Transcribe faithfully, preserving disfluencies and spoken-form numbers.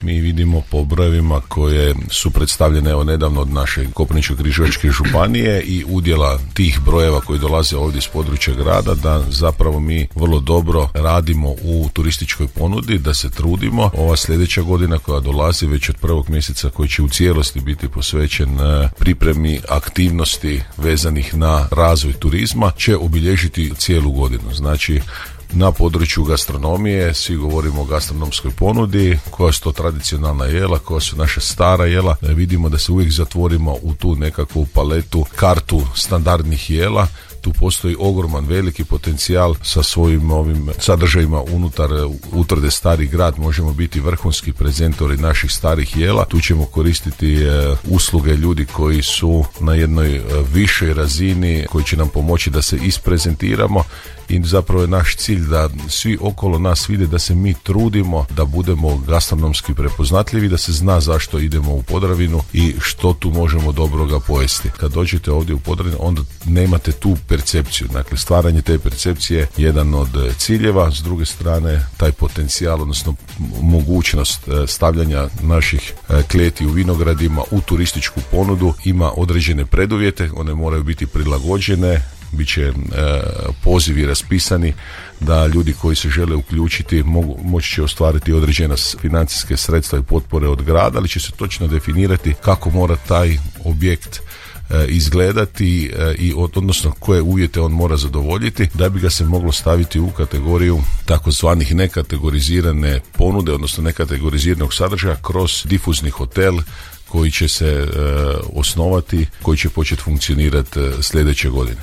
Mi vidimo po brojevima koje su predstavljene evo nedavno od naše Koprivničko-križevačke županije i udjela tih brojeva koji dolaze ovdje iz područja grada, da zapravo mi vrlo dobro radimo u turističkoj ponudi, da se trudimo. Ova sljedeća godina koja dolazi već od prvog mjeseca, koji će u cijelosti biti posvećen pripremi aktivnosti vezanih na razvoj turizma, će obilježiti cijelu godinu. Znači, na području gastronomije svi govorimo o gastronomskoj ponudi, koja su to tradicionalna jela, koja su naša stara jela. Vidimo da se uvijek zatvorimo u tu nekakvu paletu, kartu standardnih jela. Tu postoji ogroman veliki potencijal sa svojim ovim sadržajima unutar utvrde Stari grad. Možemo biti vrhunski prezentori naših starih jela. Tu ćemo koristiti e, usluge ljudi koji su na jednoj e, višoj razini, koji će nam pomoći da se isprezentiramo. I zapravo je naš cilj da svi okolo nas vide da se mi trudimo da budemo gastronomski prepoznatljivi, da se zna zašto idemo u Podravinu i što tu možemo dobroga pojesti. Kad dođete ovdje u Podravinu, onda nemate tu percepciju. Dakle, stvaranje te percepcije je jedan od ciljeva. S druge strane, taj potencijal, odnosno mogućnost stavljanja naših kleti u vinogradima u turističku ponudu ima određene preduvjete. One moraju biti prilagođene, bit će e, pozivi raspisani da ljudi koji se žele uključiti mogu, moći će ostvariti određena financijske sredstva i potpore od grada, ali će se točno definirati kako mora taj objekt e, izgledati e, i od, odnosno koje uvjete on mora zadovoljiti da bi ga se moglo staviti u kategoriju takozvanih nekategorizirane ponude, odnosno nekategoriziranog sadržaja kroz difuzni hotel koji će se e, osnovati, koji će početi funkcionirati e, sljedeće godine.